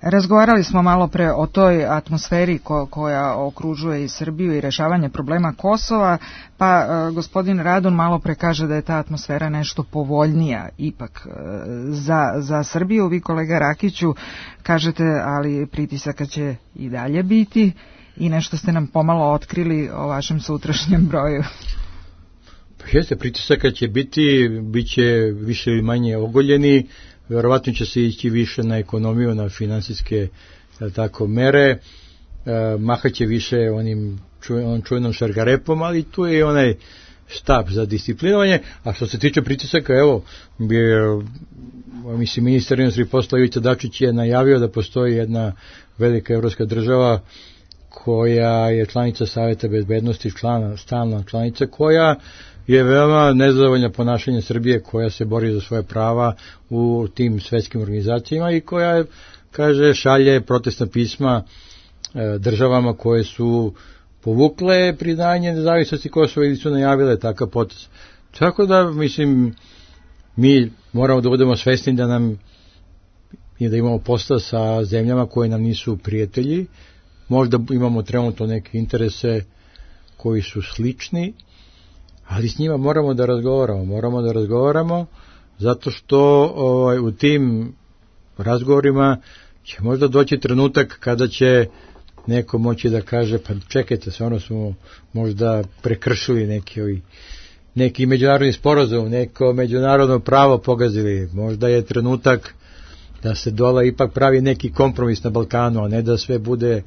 Razgovarali smo malo pre o toj atmosferi koja okružuje i Srbiju i rešavanje problema Kosova, pa gospodin Radun malo pre kaže da je ta atmosfera nešto povoljnija ipak za Srbiju. Vi, kolega Rakiću, kažete, ali pritisaka će i dalje biti. I nešto ste nam pomalo otkrili o vašem sutrašnjem broju. Pa jeste, pritisaka će biti, bit će više ili manje ogoljeni, verovatno će se ići više na ekonomiju, na finansijske tako mere, mahaće više onim čuvenom šargarepom, ali tu je onaj štab za disciplinovanje. A što se tiče pritisaka, evo, mislim, ministar inostranih poslova Ivica Dačić je najavio da postoji jedna velika evropska država koja je članica Saveta bezbednosti, stalna članica, koja je veoma nezadovoljna ponašanje Srbije, koja se bori za svoje prava u tim svetskim organizacijama i koja, kaže, šalje protestna pisma državama koje su povukle priznanje nezavisnosti Kosova ili su najavile takav potez. Tako da, mislim, mi moramo da budemo svesni da nam i da imamo posla sa zemljama koje nam nisu prijatelji. Možda imamo trenutno neke interese koji su slični, ali s njima moramo da razgovaramo zato što u tim razgovorima će možda doći trenutak kada će neko moći da kaže, pa čekajte, stvarno smo možda prekršili neki međunarodni sporazum, neko međunarodno pravo pogazili, možda je trenutak da se dole ipak pravi neki kompromis na Balkanu, a ne da sve bude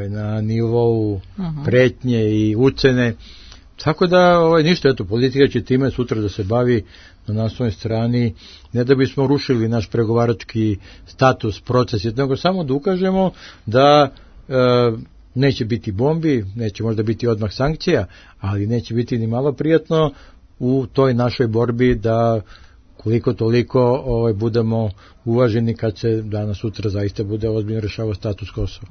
na nivou pretnje i ucene. Tako da ništa, eto, politika će time sutra da se bavi na naslovnoj strani, ne da bismo rušili naš pregovarački status, proces, nego samo da ukažemo da neće biti bombi, neće možda biti odmah sankcija, ali neće biti ni malo prijatno u toj našoj borbi da koliko toliko budemo uvaženi kad se danas sutra zaista bude ozbiljno rešavao status Kosova.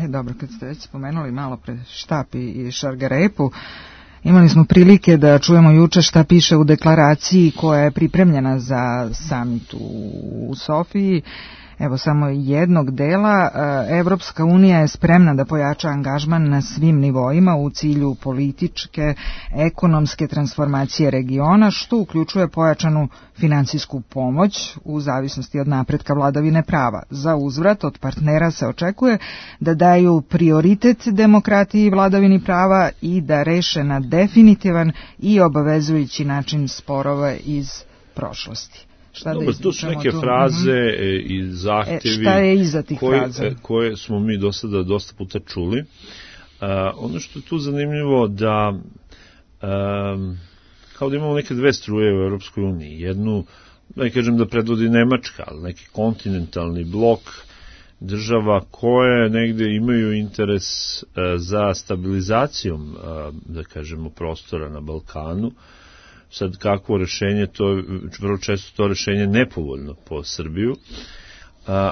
Dobro, kad ste već spomenuli malo pre štap i šargarepu, imali smo prilike da čujemo juče šta piše u deklaraciji koja je pripremljena za samit u Sofiji. evo samo jednog dela. Evropska unija je spremna da pojača angažman na svim nivoima u cilju političke, ekonomske transformacije regiona, što uključuje pojačanu finansijsku pomoć u zavisnosti od napretka vladavine prava. Za uzvrat od partnera se očekuje da daju prioritet demokratiji i vladavini prava i da reše na definitivan i obavezujući način sporove iz prošlosti. Dobro, to su neke fraze i zahtevi šta je iza tih fraza? Koje smo mi do sada dosta puta čuli. Ono što je tu zanimljivo da kao da imamo neke dve struje u Europskoj uniji. Jednu, da kažem da predvodi Nemačka, ali neki kontinentalni blok država koje negde imaju interes za stabilizacijom, da kažemo, prostora na Balkanu. Sad kakvo rešenje, to je vrlo često to rešenje nepovoljno po Srbiju,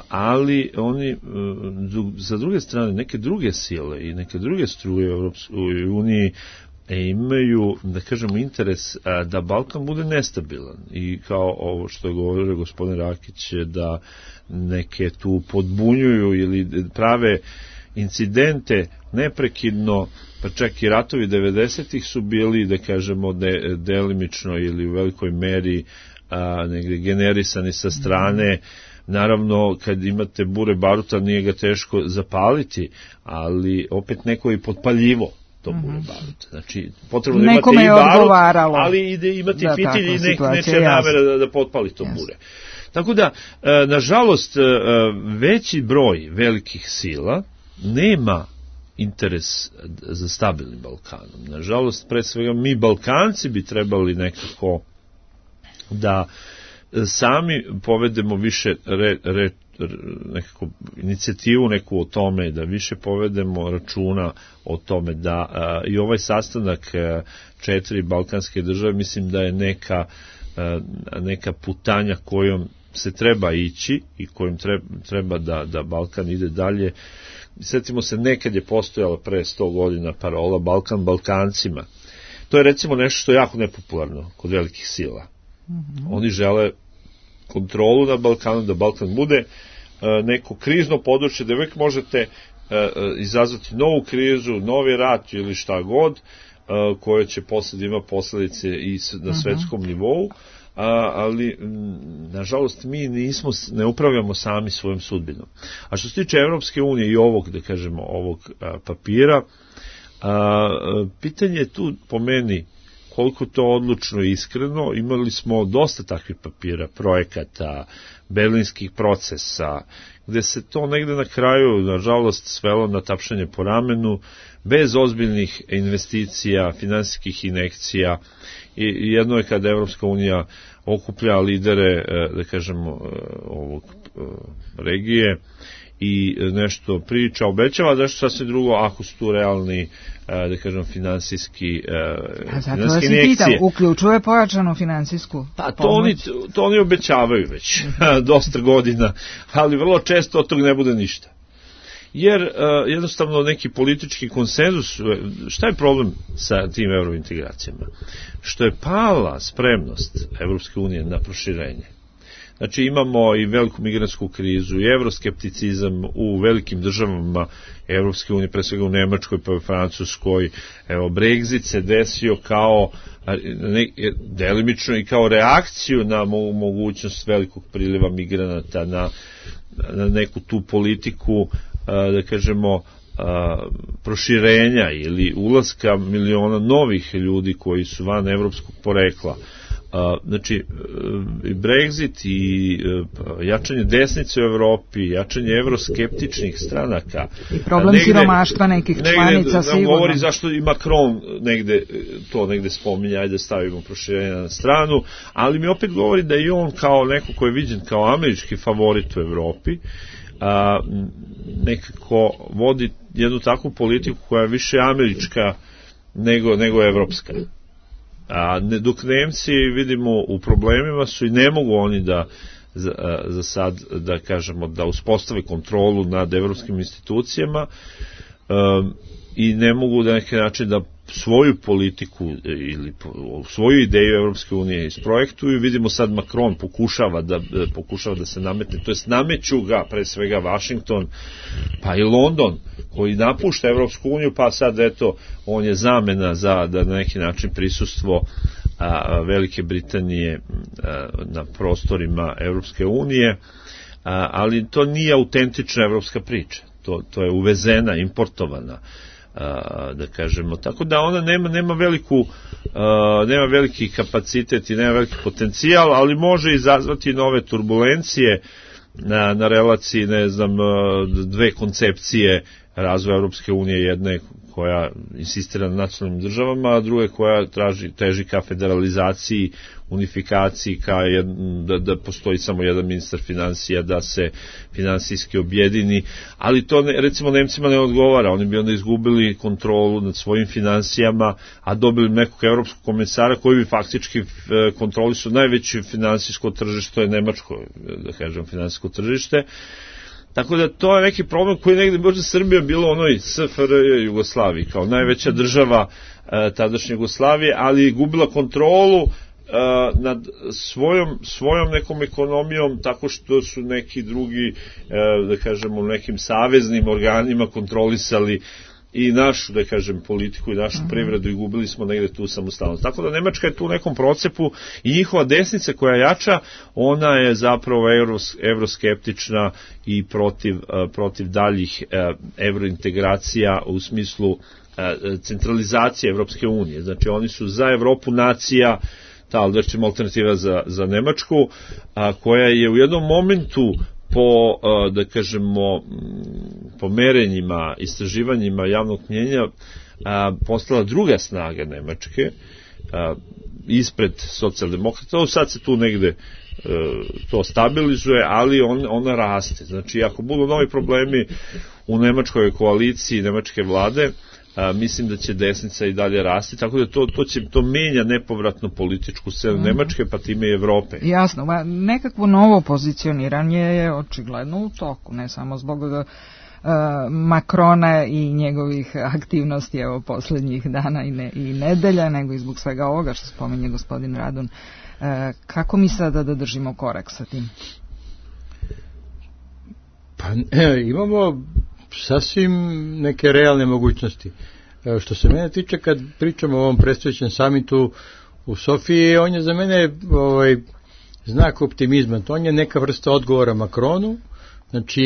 ali oni za druge strane neke druge sile i neke druge struje u Europskoj uniji imaju, da kažemo, interes da Balkan bude nestabilan i kao ovo što je govorio gospodin Rakić, da neke tu podbunjuju ili prave incidente neprekidno, pa čak i ratovi 90-ih su bili, da kažemo, delimično ili u velikoj meri negde generisani sa strane. Naravno, kad imate bure baruta, nije ga teško zapaliti, ali opet neko je potpaljivo to bure baruta. Znači, potrebno da imate i barut, ali imate fitilj i neće namera da potpali to bure. Tako da, nažalost, veći broj velikih sila nema interes za stabilnim Balkanom. Nažalost, pre svega mi Balkanci bi trebali nekako da sami povedemo više nekako inicijativu neku o tome, da više povedemo računa o tome da i ovaj sastanak 4 balkanske države, mislim da je neka putanja kojom se treba ići i kojim treba da Balkan ide dalje. Sjetimo se, nekad je postojala pre 100 godina parola Balkan Balkancima. To je recimo nešto što je jako nepopularno kod velikih sila. Oni žele kontrolu na Balkanu, da Balkan bude neko krizno područje, da uvijek možete izazvati novu krizu, novi rat ili šta god, koje će posle ima posledice i na svetskom nivou, ali nažalost mi ne upravljamo sami svojom sudbinom. A što se tiče Evropske unije i ovog, da kažemo, ovog papira, pitanje je tu po meni koliko to odlučno i iskreno. Imali smo dosta takvih papira, projekata, berlinskih procesa, gde se to negde na kraju, nažalost, svelo na tapšanje po ramenu, bez ozbiljnih investicija, finansijskih injekcija. I jedno je kada Evropska unija okuplja lidere, da kažemo, ovog regije i nešto priča, obećava, nešto sasvim drugo ako su tu realni, da kažem, finansijski injekcije. Uključuje pojačanu finansijsku pomoć? To oni obećavaju već dosta godina, ali vrlo često od tog ne bude ništa. Jer jednostavno neki politički konsenzus, šta je problem sa tim eurointegracijama? Što je pala spremnost Evropske unije na proširenje. Znači imamo i veliku migrantsku krizu i evroskepticizam u velikim državama Evropske unije, pre svega u Nemačkoj pa u Francuskoj. Evo, Brexit se desio kao delimično i kao reakciju na mogućnost velikog priliva migranata, na neku tu politiku, da kažemo, proširenja ili ulaska miliona novih ljudi koji su van evropskog porekla. Znači, Brexit i jačanje desnice u Evropi, jačanje evroskeptičnih stranaka. I problem siromaštva nekih članica sigurno. Govori zašto i Macron negde spominja, ajde stavimo proširenje na stranu, ali mi opet govori da i on kao neko ko je viđen kao američki favorit u Evropi, nekako vodi jednu takvu politiku koja je više američka nego evropska. Dok Nemci, vidimo, u problemima su i ne mogu oni da za sad, da kažemo, da uspostave kontrolu nad evropskim institucijama i ne mogu da neki način da svoju politiku ili svoju ideju Evropske unije isprojektuju. Vidimo sad Macron pokušava da se nametne, to jest nameću ga pre svega Washington, pa i London, koji napušta Evropsku uniju, pa sad eto, on je zamena za da na neki način prisustvo Velike Britanije na prostorima Evropske unije, ali to nije autentična evropska priča, to je uvezena, importovana, da kažemo, tako da ona nema veliki kapacitet i nema veliki potencijal, ali može izazvati nove turbulencije na relaciji, ne znam, dve koncepcije razvoja Europske unije, jedna koja insistira na nacionalnim državama, a druga koja teži ka federalizaciji, unifikaciji, da postoji samo jedan ministar financija, da se finansijski objedini, ali to recimo Nemcima ne odgovara, oni bi onda izgubili kontrolu nad svojim finansijama, a dobili nekog evropskog komisara koji bi faktički kontrolisao najveće finansijsko tržište, to je nemačko, da kažem, finansijsko tržište. Tako da to je neki problem koji negde možda Srbija bilo onoj SFRJ Jugoslaviji, kao najveća država tadašnje Jugoslavije, ali gubila kontrolu nad svojom nekom ekonomijom, tako što su neki drugi, da kažemo, nekim saveznim organima kontrolisali i našu, da kažem, politiku i našu privredu i gubili smo negde tu samostalnost. Tako da Nemačka je tu u nekom procepu i njihova desnica koja jača, ona je zapravo evroskeptična i protiv daljih evrointegracija u smislu centralizacije Evropske unije. Znači oni su za Evropu nacija, ta recimo alternativa za Nemačku, koja je u jednom momentu da kažemo, po merenjima, istraživanjima javnog mnjenja postala druga snaga Nemačke, ispred socijaldemokrata. Sad se tu negde to stabilizuje, ali ona raste. Znači, ako budu novi problemi u nemačkoj koaliciji, nemačke vlade, mislim da će desnica i dalje rasti, tako da to menja nepovratno političku scenu Nemačke, pa time i Evrope. Jasno, nekakvo novo pozicioniranje je očigledno u toku, ne samo zbog Makrona i njegovih aktivnosti poslednjih dana i nedelja, nego i zbog svega ovoga što spominje gospodin Radun. Kako mi sada da držimo korak sa tim? Pa imamo sasvim neke realne mogućnosti. Što se mene tiče, kad pričamo o ovom predstojećem samitu u Sofiji, on je za mene znak optimizma. To on je neka vrsta odgovora Makronu. Znači,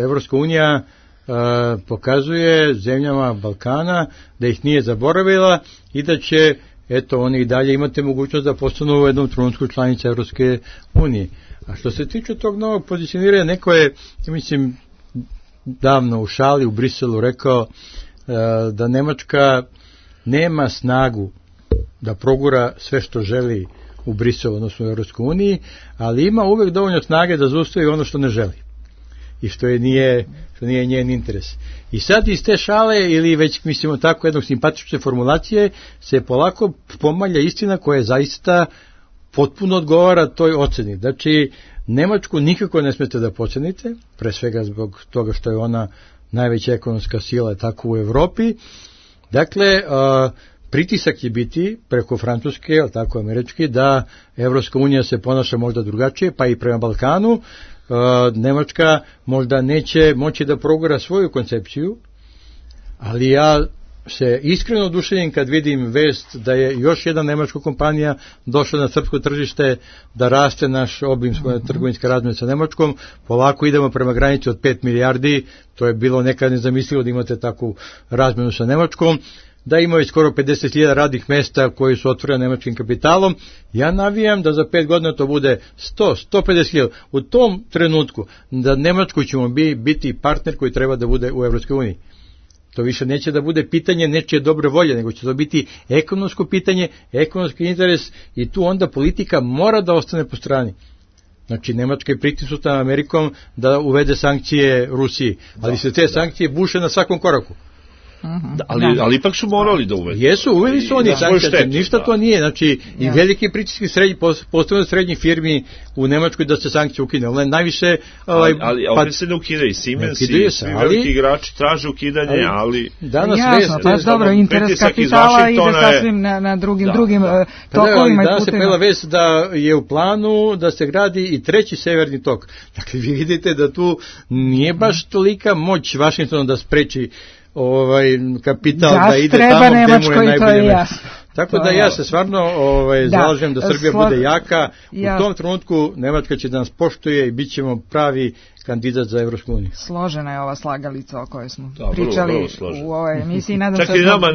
Evropska unija pokazuje zemljama Balkana da ih nije zaboravila i da će, eto, oni i dalje imate mogućnost da postanu u jednom trenutku članice Evropske unije. A što se tiče tog novog pozicioniranja, neko je, mislim, davno u šali u Briselu rekao da Nemačka nema snagu da progura sve što želi u Briselu, odnosno u Evropskoj uniji, ali ima uvek dovoljno snage da zaustavi ono što ne želi i što nije njen interes. I sad iz te šale, ili već mislimo tako jednog simpatične formulacije, se polako pomalja istina koja zaista potpuno odgovara toj oceni. Znači, Nemačku nikako ne smete da pocenite, pre svega zbog toga što je ona najveća ekonomska sila tako u Evropi. Dakle, pritisak će biti preko Francuske, ali tako američki, da Evropska unija se ponaša možda drugačije, pa i prema Balkanu. Nemačka možda neće moći da progura svoju koncepciju, ali ja se iskreno oduševim kad vidim vest da je još jedna nemačka kompanija došla na srpsko tržište, da raste naš obim trgovinske razmene sa Nemačkom, polako idemo prema granici od 5 milijardi, to je bilo nekad nezamislivo da imate takvu razmenu sa Nemačkom, da imaju skoro 50.000 radnih mesta koji su otvoreni nemačkim kapitalom. Ja navijam da za 5 godina to bude 100-150.000. U tom trenutku da Nemačku ćemo biti partner koji treba da bude u Evropskoj uniji. To više neće da bude pitanje nečije dobre volje, nego će to biti ekonomsko pitanje, ekonomski interes, i tu onda politika mora da ostane po strani. Znači, Nemačka je pritisnuta Amerikom da uvede sankcije Rusiji, ali se te sankcije buše na svakom koraku. Ali ipak su morali da uvedu. Jesu, uveli su oni sankcije, ništa to nije, znači i veliki pritiski postavljaju srednjih firmi u Nemačkoj da se sankcije ukine, ali najviše... Ali opet se ne ukidaju, Siemens i svi veliki igrači traže ukidanje, ali... Jasno, pa dobro, interes kapitala ide sasvim na drugim tokovima i danas se pojela vest da je u planu da se gradi i treći severni tok. Dakle, vi vidite da tu nije baš tolika moć Vašingtona da spreči kapital da ide tamo gde mu je najbolje. Tako da ja se stvarno zalažem da Srbija bude jaka. U tom trenutku Nemačka će da nas poštuje i bit ćemo pravi kandidat za Evropsku uniju. Složena je ova slagalica o kojoj smo pričali u ovoj emisiji. Čak i nama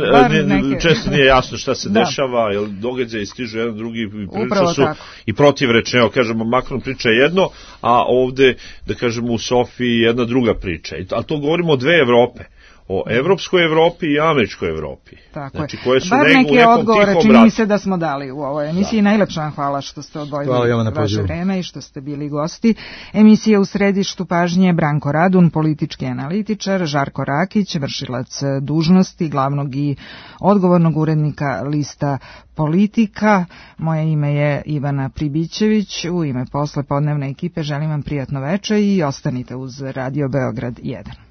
često nije jasno šta se dešava, jer događaji stižu jedan drugi, prilično su i protivrečne. Evo, kažemo, Macron priča jedno, a ovde, da kažemo, u Sofiji jedna druga priča. A to govorimo o dve Evrope. O evropskoj Evropi i američkoj Evropi. Tako znači, je. koje su bar neke odgovore čini mi se da smo dali u ovoj emisiji. Najlepša vam hvala što ste odvojili vaše vreme i što ste bili gosti. Emisija u središtu pažnje Branko Radun, politički analitičar, Žarko Rakić, vršilac dužnosti glavnog i odgovornog urednika lista Politika. Moje ime je Ivana Pribićević. U ime poslepodnevne ekipe želim vam prijatno veče i ostanite uz Radio Beograd 1.